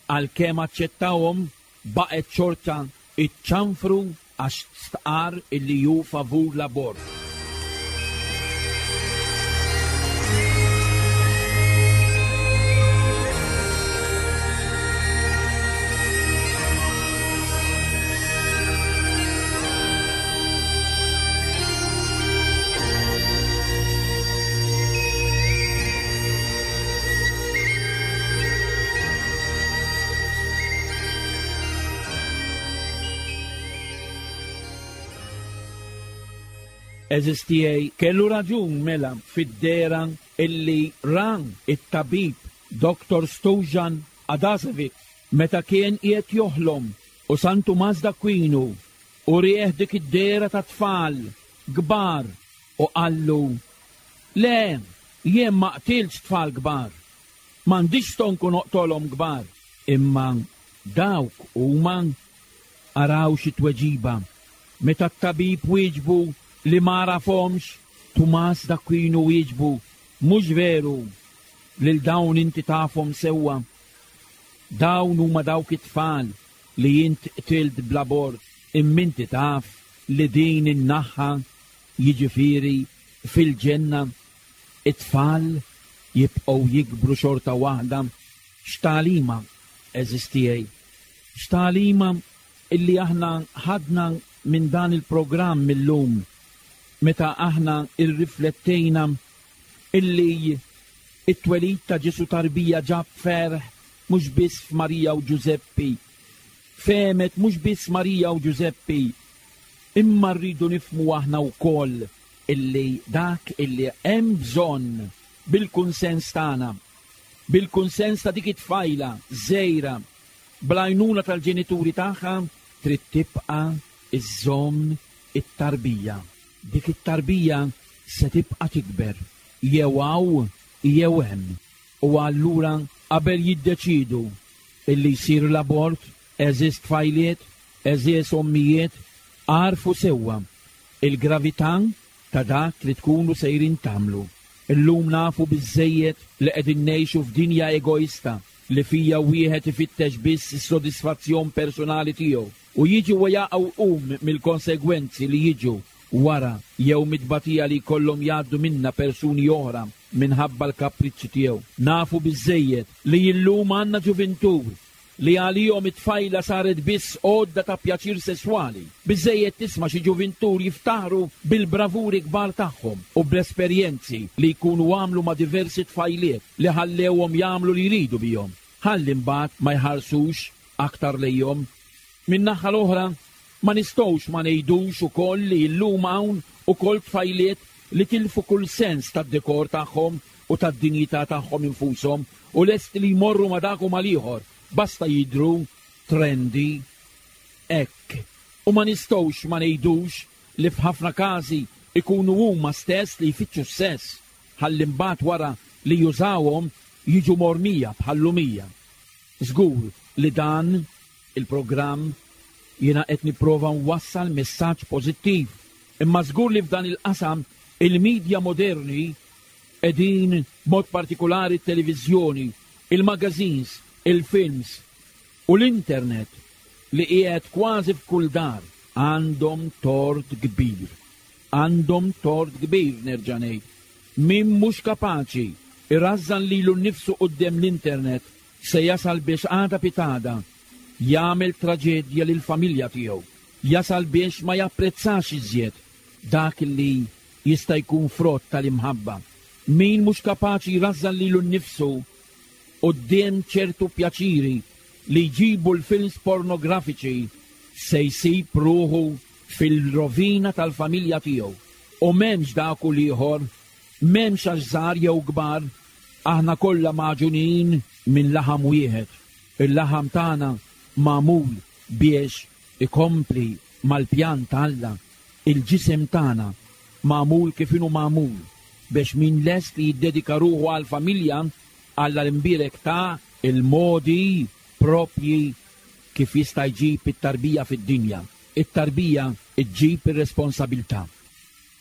Speaker 2: għalkemm aċċettawhom baqgħet xorta iċ-ċanfru għax stqar illi hu favur l-abort. Eżis tiegħi kellu raġun mela fid-dera illi ran it-tabib Doktor Stojan Adasevic meta kien qiegħed joħlom u San Tumas d'Aquino u rieħ dik id-dera ta' tfal kbar u qallu, le, jien ma qtilx tfal kbar, m'għandix stonku noqtolhom kbar, imma dawk huma. Araw xi tweġiba meta t-tabib wieġbu li ma għarafhomx, Tumas d'Aquino wieġbu, mhux veru, lil dawn inti tafhom sewwa. Dawn huma dawk it-tfal li int qtilt bl-abort, imma inti taf li din in-naħa, jiġifieri fil-ġenna, it-tfal jibqgħu jikbru xorta waħda. X'tagħlima, għeżież tiegħi, x'tagħlima illi aħna ħadna minn dan il-programm illum, meta aħna irriflettejna illi it-twelid ta' Ġesu tarbija ġab ferħ mhux biss f'Marija u Ġużeppi, fehmet mhux biss Marija u Ġużeppi, Imma rridu nifhmu aħna wkoll illi dak illi hemm bżonn bil-kunsens tagħna, bil-kunsens ta' dik it-tfajla żgħira, bl-għajnuna tal-ġenituri tagħha, trid tibqa' iżżomm it-tarbija. Dik it-tarbija se tibqa' tikber jew hawn jew hemm. U allura qabel jiddeċidu illi jsir l-abort, għeżież tfajliet, għeżież ommijiet, għarfu sewwa il-gravità ta' dak li tkunu sejrin tagħmlu. Illum nafu biżżejjed li qegħdin ngħixu f'dinja egoista li fija wieħed ifittex biss is-sodisfazzjon personali tiegħu u jiġi u jaqgħu um mill-konsegwenzi li jiġu wara jew mit-tbatija li jkollhom jgħaddu minna persuni oħra minħabba l-kapriċċi tiegħu. Nafu biżżejjed li illum għandna ġuvintur li għalihom it-tfajla saret biss għodda ta' pjaċir sesswali. Biżżejjed tisma' xi ġuvintur jiftaħru bil-bravuri kbar tagħhom u bl-esperjenzi li jkunu għamlu ma' diversi tfajliet li ħallewhom jagħmlu li jridu bihom. Ħalli mbagħad ma jħarsux aktar lejhom. Min-naħa l-oħra, ma nistgħux ma ngħidux ukoll li llum hawn ukoll tfajliet li tilfu kull sens tad-dekor tagħhom u tad-dinjità tagħhom infushom u lest li jmorru ma' dak u mal-ieħor, basta jidhru trendy hekk. U ma nistgħux ma ngħidux li f'ħafna każi ikunu huma stess li jfittxu s-sess, ħalli mbagħad wara li jużawhom jiġu mormija bħal-lumija. Żgur li dan il-programm jiena qed nipprova nwassal messaġġ pożittiv, imma żgur li f'dan il-qasam il-medja moderni qegħdin b'mod partikolari t-televiżjoni, il-magazines, il-films u l-internet li qiegħed kważi f'kull dar għandhom tort kbir. Għandhom tort kbir, nerġa' ngħid. Min mhux kapaċi irażżan lilu nnifsu quddiem l-internet se jasal biex għada pitada jagħmel traġedja lill-familja tiegħu. Jasal biex ma japprezzax iżjed dak li jista' jkun frott tal-imħabba. Min mhux kapaċi jrażżan lilu nnifsu quddiem ċertu pjaċiri li jġibu l-films pornografiċi se jsib ruħu fil-rovina tal-familja tiegħu. U m'hemmx dak u l-ieħor, m'hemmx għax żgħar jew kbar, aħna kollha magħġunin minn laħam wieħed. Il-laħam tagħna magħmul biex ikompli mal-pjan ta' Alla. Il-ġisem tagħna magħmul kif inhu magħmul biex min lest li jiddedika ruħu għall-familja, Alla l-imbierek ta' il-modi propji kif jista' jġib it-tarbija fid-dinja. It-tarbija ġġib ir-responsabilità.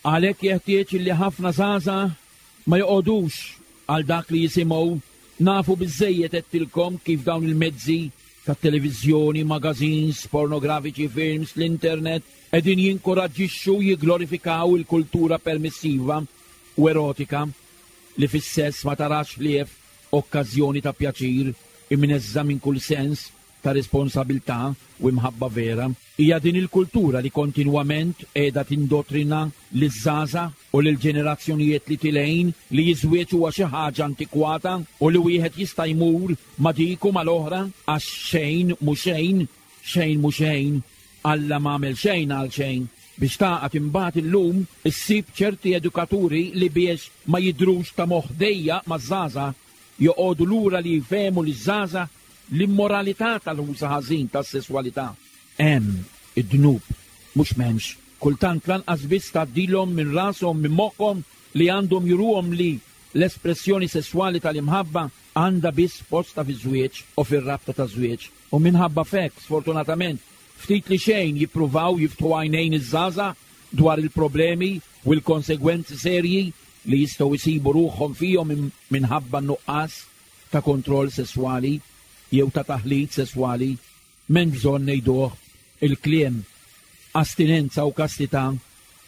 Speaker 2: Għalhekk jeħtieġ li ħafna żgħażagħ ma joqogħdux għal dak li jisimgħu. Nafu biżżejjed għedtilkom kif dawn il-mezzi tat-televiżjoni, magazines, pornografiċi, films, l-internet qegħdin jinkoraġġixxu jigglorifikaw il-kultura permissiva u erotika li fis-sess ma tarax ħlief okkażjoni ta' pjaċir imneżża minn kull sens ta' responsabilità u imħabba vera. Hija din il-kultura li kontinwament qiegħda tindottrina liż-żgħażagħ u lill-ġenerazzjonijiet li tilejn li jiżwieġ huwa xi ħaġa antikwata u li wieħed jista' jmur ma' dik u mal-oħra għax xejn mhu xejn, xejn mhu xejn, Alla m'għamel xejn għal xejn. Biex taqgħod imbagħad illum issib ċerti edukaturi li biex ma jidhrux ta' moħħ dejjaq maż-żgħażagħ joqogħdu lura li jfehmu liż-żgħażagħ l-immoralità tal-użu ħażin tas-sesswalità. Hemm id-dnub, mhux m'hemmx. Kultant lanqas biss tgħaddilhom minn rashom, minn moħħhom li għandhom juruhom li l-espressjoni sesswali tal-imħabba għandha biss posta fiż-żwieġ u fir-rabta taż-żwieġ. U minħabba f'hekk, sfortunatament, ftit li xejn jippruvaw jiftħu għajnejn iż-żgħażagħ dwar il-problemi u l-konsegwenzi serji li jistgħu jsibu ruħhom fihom minħabba nuqqas ta' kontroll sesswali jew ta' taħlit sesswali. M'hemmx bżonn ngħiduh il-kliem astinenza u kastità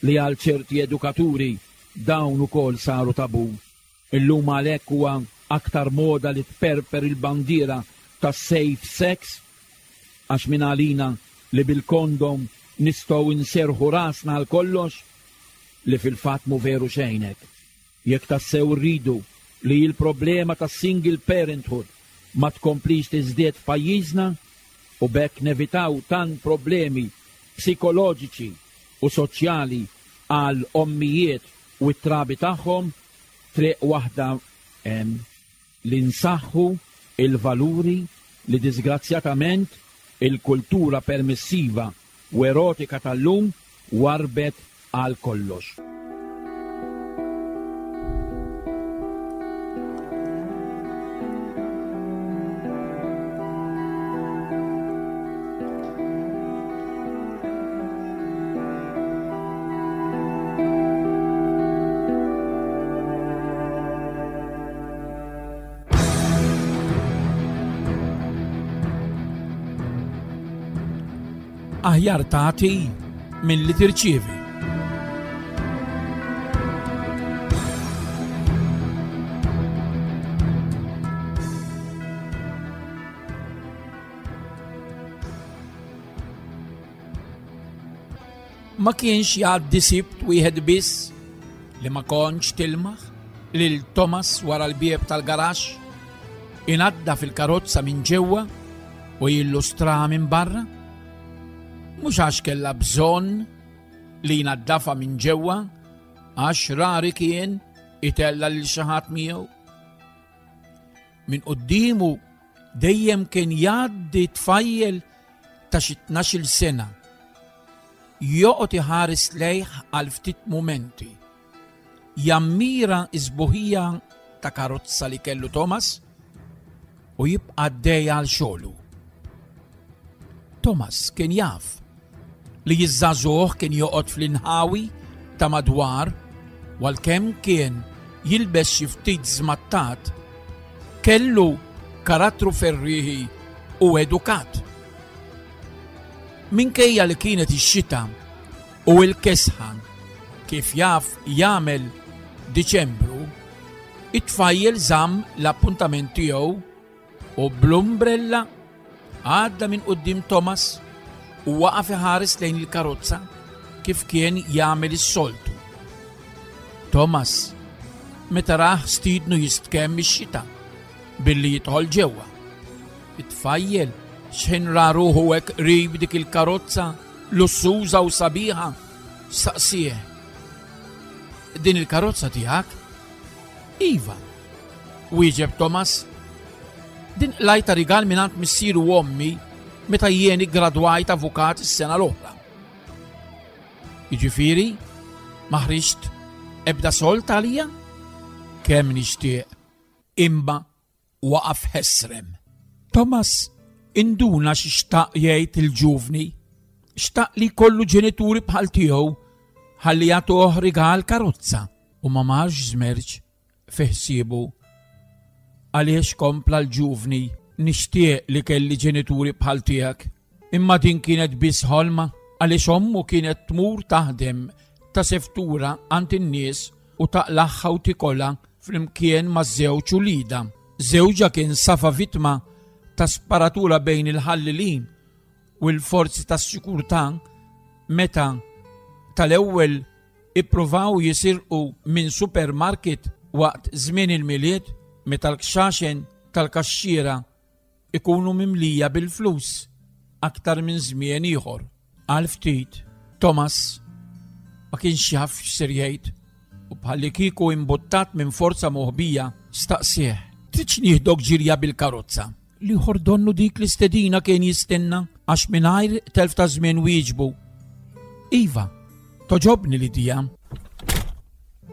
Speaker 2: li għal ċerti edukaturi dawn ukoll saru tabu. Illum għalhekk huwa aktar moda li tperper il-bandiera tas safe sex, għax min għalina li bil-kondom nistgħu nserħu rasna għal kollox, li fil-fatt mu veru xejn hekk. Jekk tassew rridu li l-problema tas single parenthood ma tkomplix tiżdied f'pajjiżna u b'hekk nevitaw tant problemi psikoloġiċi u soċjali għal ommijiet u t-trabi tagħhom, triq waħda hemm li nsaħħu il-valuri li disgrazzjatament il-kultura permissiva u erotika tal-lum warbet għal kollox.
Speaker 3: Aħjar tagħti milli tirċievi. Ma kienx jgħaddi sibt wieħed biss li ma kontx tilmaħ lil Thomas wara l-bieb tal-garaxx inadda fil-karozza minn ġewwa u jillustraha minn barra. Mhux għax kellha bżonn li jnaddafa minn ġewwa, għax rari kien itella lil xi ħadd miegħu. Minn quddiemu dejjem kien jgħaddi tfajjel ta' xi tnax-il sena. Joqgħod iħares lejh għal ftit mumenti. Jammira s-sbuħija ta' karozza li kellu Thomas u jibqa' għaddej għal xogħlu. Thomas kien jaf li jiż-żagħżugħ kien joqgħod fl-inħawi ta' madwar u għalkemm kien jilbes xi ftit żmattat, kellu karattru ferrieħi u edukat. Minkejja li kienet ix-xita u l-kesħa kif jaf jagħmel Diċembru, it-tfajjel żamm l-appuntament tiegħu u bl-umbrella għadda minn quddiem Thomas u waqaf iħares lejn il-karozza kif kien jagħmel is-soltu. Thomas meta rah stiednu jistkemm ix-xita billi jidħol ġewwa. It-tfajjel x'ħin ra ruħu hekk qrib dik il-karozza lussuża u sabiħa staqsieh. Din il-karozza tiegħek? Iva, wieġeb Thomas. Din qlajta rigal mingħand missieru u ommi meta jien iggradwajt avukat is-sena l-oħra. Jiġifieri, ma ħriġt ebda sold għalija? Kemm nixtieq, imma waqaf ħesrem. Thomas induna xi xtaq jgħid il-ġuvni, xtaq li jkollu ġenituri bħal tiegħu ħalli jagħtuh rigal karozza u ma marx żmerġ fi ħsiebu. Għaliex kompla l-ġuvni, nixtieq li kelli ġenituri bħal tiegħek, imma din kienet biss ħolma għaliex ommu kienet tmur taħdem ta' seftura għand in-nies u taqlaħħa u tikolha flimkien ma' żewġ ulida. Żewġha kien safa vittma ta' sparatura bejn il-ħallilin u l-forzi tas-sikurtà meta tal-ewwel ippruvaw jisirqu minn supermarket waqt żmien il-Milied meta l-kxaxen tal-kaxxiera ikunu mimlija bil-flus aktar minn żmien ieħor. Għal ftit Thomas ma kienx jaf x'ser jgħid u bħalli kieku imbuttat minn forza moħbija staqsieh. Tridx nieħdok ġirja bil-karozza? L-ieħor donnu dik l-istedina kien jistenna għax mingħajr telf ta' żmien wieġbu. Iva, toġobni l-idea.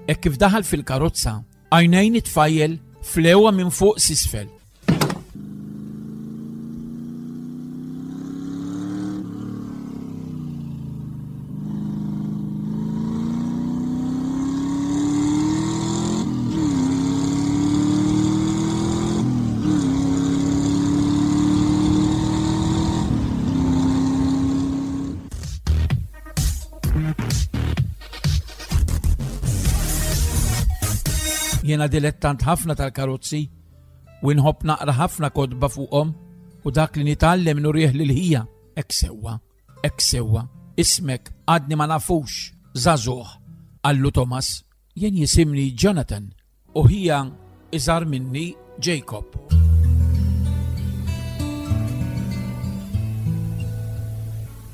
Speaker 3: Hekk kif daħal fil-karozza, għajnejn it-tfajjel flewa minn fuq s'isfel. Jiena dilettant ħafna tal-karozzi u nħobb naqra ħafna kotba fuqhom u dak li nitgħallem nurih lil ħija. Hekk sewwa, hekk sewwa, ismek għadni ma nafux, żagħżugħ, qallu Thomas. Jien jisimni Jonathan u ħija iżgħar minni Jacob.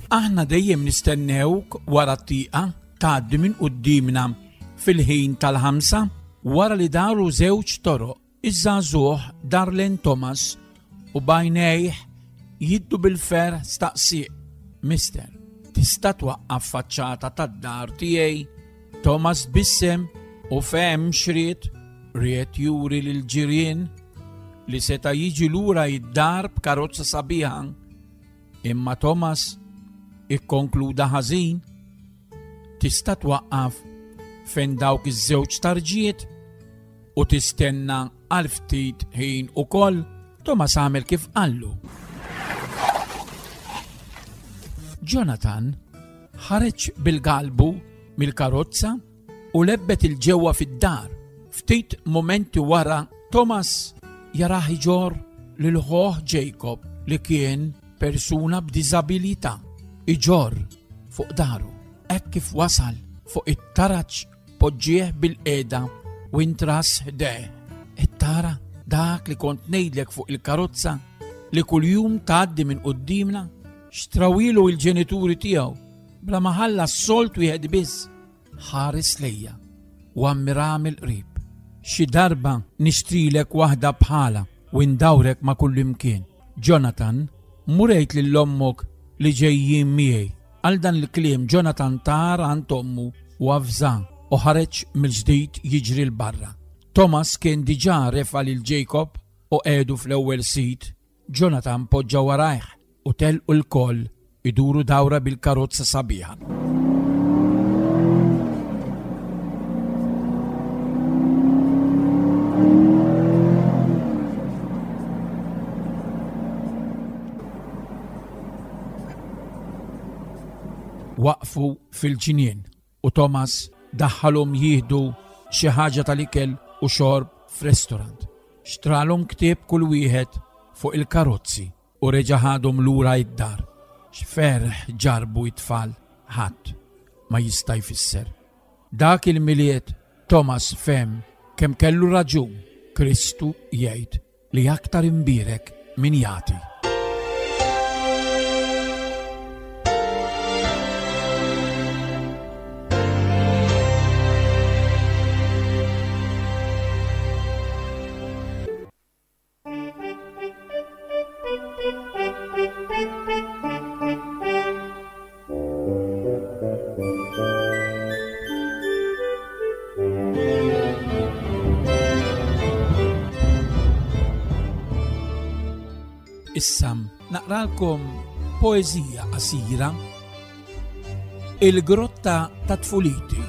Speaker 3: Aħna dejjem nistennewk wara t-tieqa tgħaddi minn quddiemna fil-ħin tal-ħamsa wara li daru żewġ toroq. Iż-żagħżugħ dar lejn Thomas u b'għajnejh jiddu bil-ferħ staqsieh: Mister, tista' twaqqaf faċċata tad-dar tiegħi? Thomas tbissem u fehem x'ried, ried juri lill-ġirien li seta' jiġi lura id-dar b'karozza sabiħa. Imma Thomas ikkonkluda ħażin. Tista' twaqqaf fejn dawk iż-żewġ tarġiet u tistenna għal ftit ħin ukoll. Thomas għamel kif qallu. Jonathan ħareġ bil-galbu mill-karozza u lebbet il-ġewwa fid-dar. Ftit momenti wara Thomas jarah iġorr lil ħuh Jacob li kien persuna b'diżabilità, iġorr fuq daru. Hekk kif wasal fuq it-taraġ poġġieh bil-qiegħda u intras ħdejh. Tara dak li kont ngħidlek fuq il-karozza li kuljum tgħaddi minn quddiemna? Xtrawilu il-ġenituri tiegħu bla ma ħallas sold wieħed biss. Ħares lejja u ammira mill-qrib. Xi darba nixtrilek waħda bħala u ndawrek ma' kullimkien. Jonathan, mur għid lil ommok li ġejjin miegħi. Għal dan il-kliem Jonathan tar għand ommu u avża u ħareġ mill-ġdid jiġri 'l barra. Thomas kien diġà refa' lil Jacob u qiegħdu fl-ewwel sit. Jonathan poġġa warajh u telqu l-koll iduru dawra bil-karozza sabiħa. Waqfu fil-ġnien u Thomas daħħalhom jieħdu xi ħaġa tal-ikel u xorb f'restorant. Xtralhom ktieb kull wieħed fuq il-karozzi u reġa' ħadhom lura id-dar. X'ferħ ġarbu it-tfal ħadd ma jista' jfisser. Dak il-Milied Thomas fehem kemm kellu raġun Kristu jgħid li aktar imbierek min jagħti. Issa naqralkom poeżija qasira, Il-Grotta ta' Tfuliti.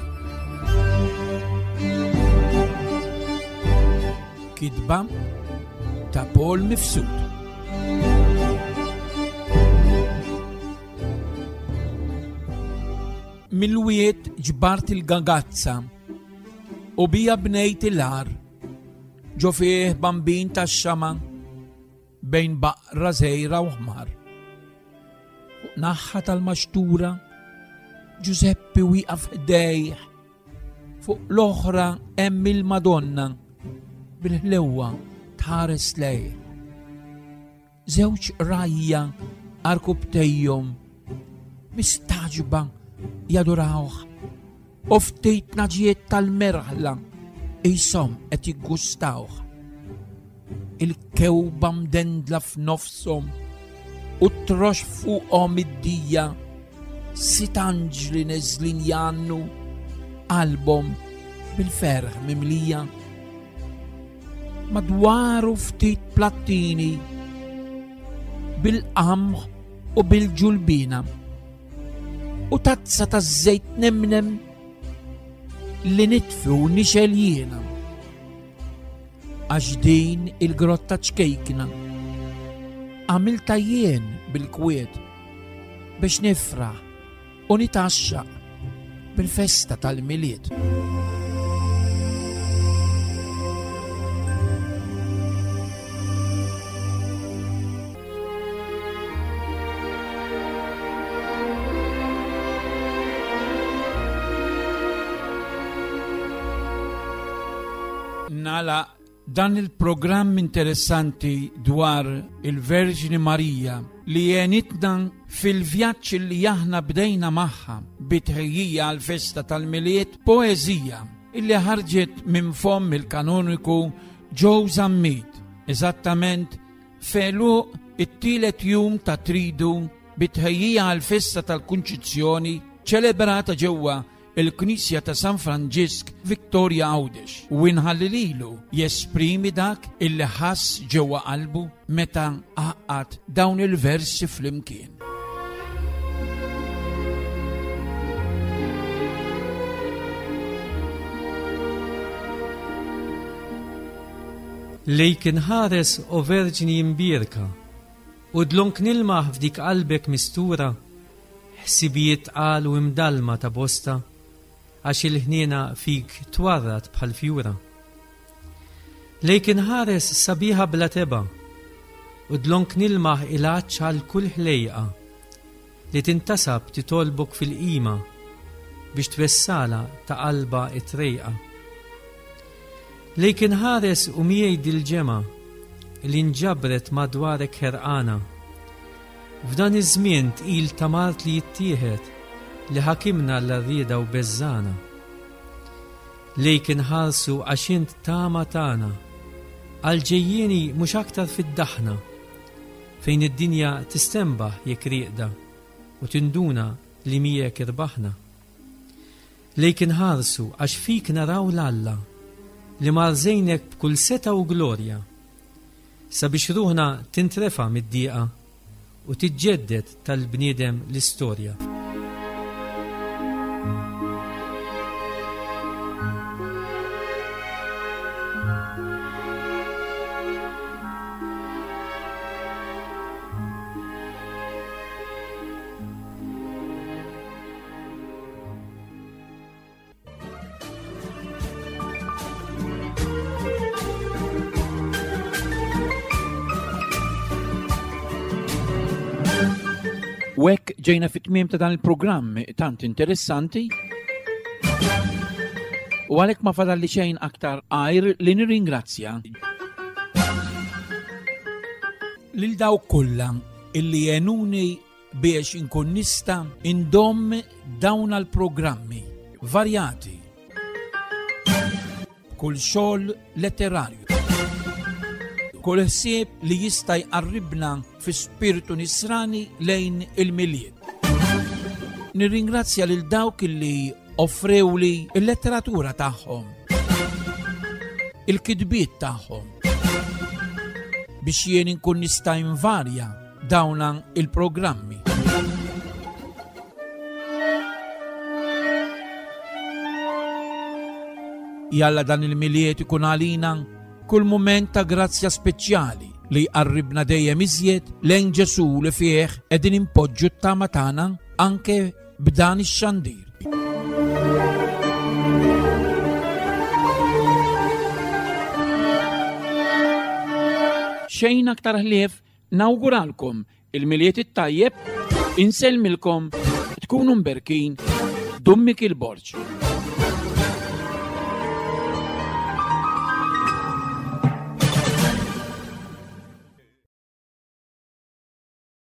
Speaker 3: Kitba ta' Paul Mifsud. Mill-wied ġbart il-gagazza u bija bnejt il-għar, ġo fih bambin tax-xama bejn baqra żgħira u ħmar. Fuq naħħa tal-maxtura Giuseppe wieqaf ħdejh, fuq l-oħra hemm il-Madonna bil-ħlewwa tħares lejh. Żewġ rajja arkubtejhom mistaġba jadurawh u ftit naġiet tal-merħla qishom qed jiggustawh. Il-kewba mdendla f'nofshom u t-trox fuqhom id-dija, sitt anġli neżlin jgħannu qalbhom bil-ferħ mimlija. Madwaru ftit plattini bil-qamħ u bil-ġulbina u tazza ta' żejt nemnem li nitfi u nixel jiena. Għax din il-grotta ċkejkna għamilta jien bil-kwiet biex nifraħ u nitaxxaq bil-festa tal-Milied. Nala Dan il-programm interessanti dwar il-Verġni Marija li għenitna fil-vjaġġ li aħna bdejna magħha bitħejjija għal-festa tal-Milied, poeżija illi ħarġet minn fomm il-kanoniku Joe Zammit, eżattament f'għeluq it-tielet jum ta' tridu bitħejjija għal-festa tal-Kunċizzjoni ċelebrata ġewwa il-Knisja ta' San Franġisk Victoria Għawdex, u inħalli lilu jesprimi dak illi ħass ġewwa qalbu meta għaqqad dawn il-versi flimkien.
Speaker 5: Lejk inħares o Verġni imbierka, u dlonk nilmaħ f'dik qalbek mistura, ħsibijiet tqal u imdalma ta' bosta, għax il-ħniena fik twarrad bħal fjura. Lejk inħares sabiħa bla teba, u dlonk nilmaħ il-għatx għal kull ħlejqa li tintasab titolbok fil-qima biex twessala ta' qalba it-trejqa. Lejk inħares u miegħi dil-ġemgħa li nġabret madwarek ħerqana. F'dan iż-żmien tqil ta' mart li jittieħed li ħakimna l-rieda u beżżana. Lejk inħarsu għax int tama tagħna, għal-ġejjieni mhux aktar fid-daħna, fejn id-dinja tistembaħ jekk rieqda u tinduna li miegħek irbaħna. Lejk inħarsu għax fik naraw l-Alla li marżejnek b'kull seta' u glorja, sabiex ruħna tintrefa' mid-dieqa u tiġġedded tal-bniedem l-istorja.
Speaker 3: U hekk ġejna fit-tmiem ta' dan il-programm tant interessanti, u għalhekk ma fadalli xejn aktar għajr li nirringrazzja lil dawk kollha illi għenuni biex inkun nista' indomm dawn għall-programmi varjati kull xogħol letterarju, kull ħsieb li jista' jqarribna fi spiritu nisrani lejn il-Milied. Nirringrazzja lil dawk illi offrewli il-letteratura tagħhom, il-kitbiet tagħhom, biex jien inkun nista' invarja dawn il-programmi. Jalla dan il-Milied ikun għalina kull mument ta' grazzja speċjali li jqarribna dejjem iżjed lejn Ġesù li fih qegħdin impoġġu t-tama tagħna anke b'dan ix-xandir. Xejn aktar ħlief nawguralkom il-Milied it-tajjeb, insellmilkom, tkunu mberkin, Dummi il-Borġ.